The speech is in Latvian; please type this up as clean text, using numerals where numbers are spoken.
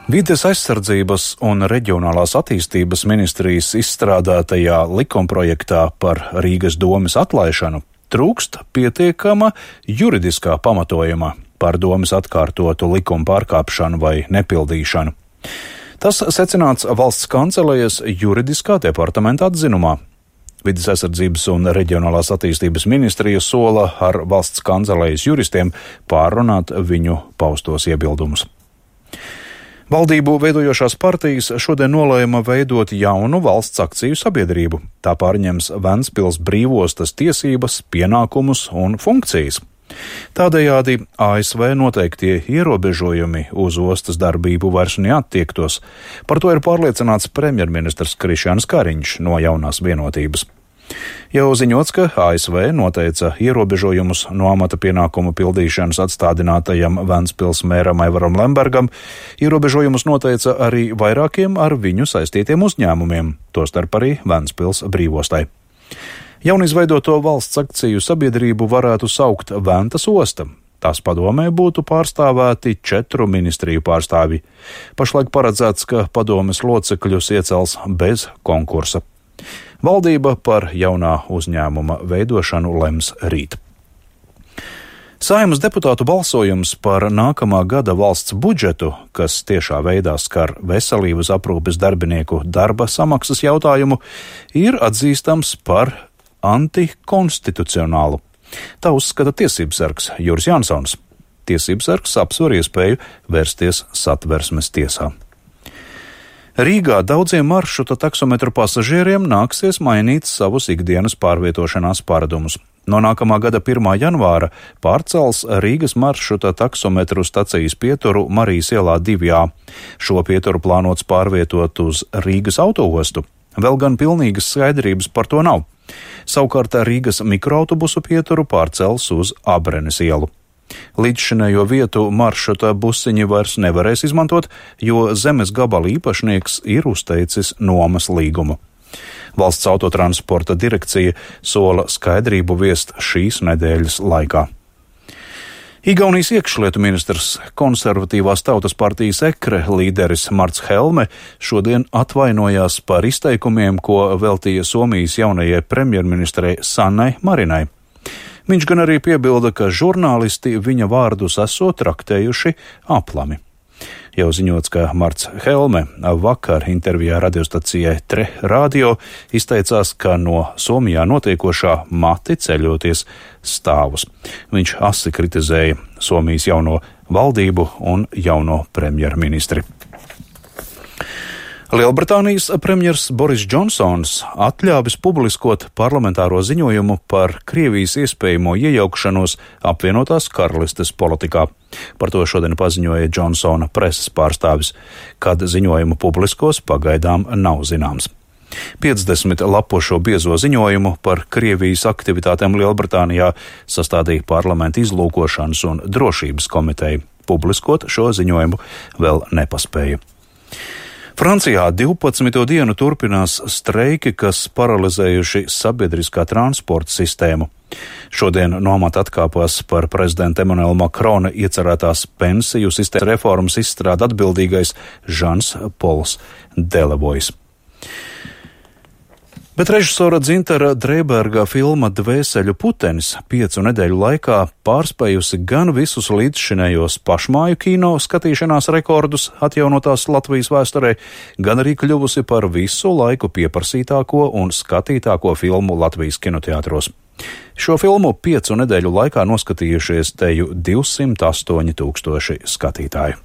Vides aizsardzības un reģionālās attīstības ministrijas izstrādātajā likumprojektā par Rīgas domes atlaišanu trūkst pietiekama juridiskā pamatojuma par domes atkārtotu likuma pārkāpšanu vai nepildīšanu. Tas secināts valsts kancelejas juridiskā departamenta atzinumā. Vides aizsardzības un reģionālās attīstības ministrija sola ar valsts kancelejas juristiem pārrunāt viņu paustos iebildumus. Valdību veidojošās partijas šodien nolēma veidot jaunu valsts akciju sabiedrību. Tā pārņems Ventspils brīvostas tiesības, pienākumus un funkcijas. Tādējādi ASV noteiktie ierobežojumi uz ostas darbību vairs neattiektos. Par to ir pārliecināts premjerministrs Krišjāns Kariņš no Jaunās vienotības. Jau ziņots, ka ASV noteica ierobežojumus no amata pienākumu pildīšanas atstādinātajam Ventspils mēram Aivaram Lembergam. Ierobežojumus noteica arī vairākiem ar viņu saistītiem uzņēmumiem, tostarp arī Ventspils brīvostai. Jaunizveidoto valsts akciju sabiedrību varētu saukt Ventas osta. Tās padomē būtu pārstāvēti 4 ministriju pārstāvji. Pašlaik paredzēts, ka padomes locekļus iecels bez konkursa. Valdība par jaunā uzņēmuma veidošanu lems rīt. Saeimas deputātu balsojums par nākamā gada valsts budžetu, kas tiešā veidā skar veselības aprūpes darbinieku darba samaksas jautājumu, ir atzīstams par antikonstitucionālu. Tā uzskata tiesībsargs Juris Jansons. Tiesībsargs apsver iespēju vērsties Satversmes tiesā. Rīgā daudziem maršruta taksometru pasažieriem nāksies mainīt savus ikdienas pārvietošanās paradumus. No nākamā gada 1. janvāra pārcels Rīgas maršruta taksometru stacijas pieturu Marijas ielā 2A. Šo pieturu plānots pārvietot uz Rīgas autoostu. Vēl gan pilnīgas skaidrības par to nav. Savukārt Rīgas mikroautobusu pieturu pārcels uz Abrenes ielu. Līdzšinējo vietu maršruta busiņi vairs nevarēs izmantot, jo zemes gabala īpašnieks ir uzteicis nomas līgumu. Valsts autotransporta direkcija sola skaidrību viest šīs nedēļas laikā. Igaunijas iekšlietu ministrs, konservatīvās tautas partijas EKRE līderis Marts Helme šodien atvainojās par izteikumiem, ko veltīja Somijas jaunajai premjerministrei Sannai Marinai. Viņš gan arī piebilda, ka žurnālisti viņa vārdus esot traktējuši aplami. Jau ziņots, ka Marts Helme vakar intervijā radiostacijai Tre Radio izteicās, ka no Somijā notiekošā mati ceļoties stāvus. Viņš asi kritizēja Somijas jauno valdību un jauno premjerministri. Lielbritānijas premjers Boris Džonsons atļāvis publiskot parlamentāro ziņojumu par Krievijas iespējamo iejaukšanos apvienotās karalistes politikā. Par to šodien paziņoja Džonsona preses pārstāvis. Kad ziņojumu publiskos, pagaidām nav zināms. 50 lapušo biezo ziņojumu par Krievijas aktivitātēm Lielbritānijā sastādīja parlamenta izlūkošanas un drošības komiteja. Publiskot šo ziņojumu vēl nepaspēja. Francijā 12. dienu turpinās streiki, kas paralizējuši sabiedriskā transporta sistēmu. Šodien no amata atkāpās par prezidenta Emmanuela Macrona iecerētās pensiju sistēmas reformas izstrāde atbildīgais Žans Pols Delevojs. Bet režisora Dzintara Dreiberga filma Dvēseļu putenis 5 nedēļu laikā pārspējusi gan visus līdzšinējos pašmāju kino skatīšanās rekordus atjaunotās Latvijas vēsturē, gan arī kļuvusi par visu laiku pieprasītāko un skatītāko filmu Latvijas kinoteātros. Šo filmu 5 nedēļu laikā noskatījušies teju 208 000 skatītāju.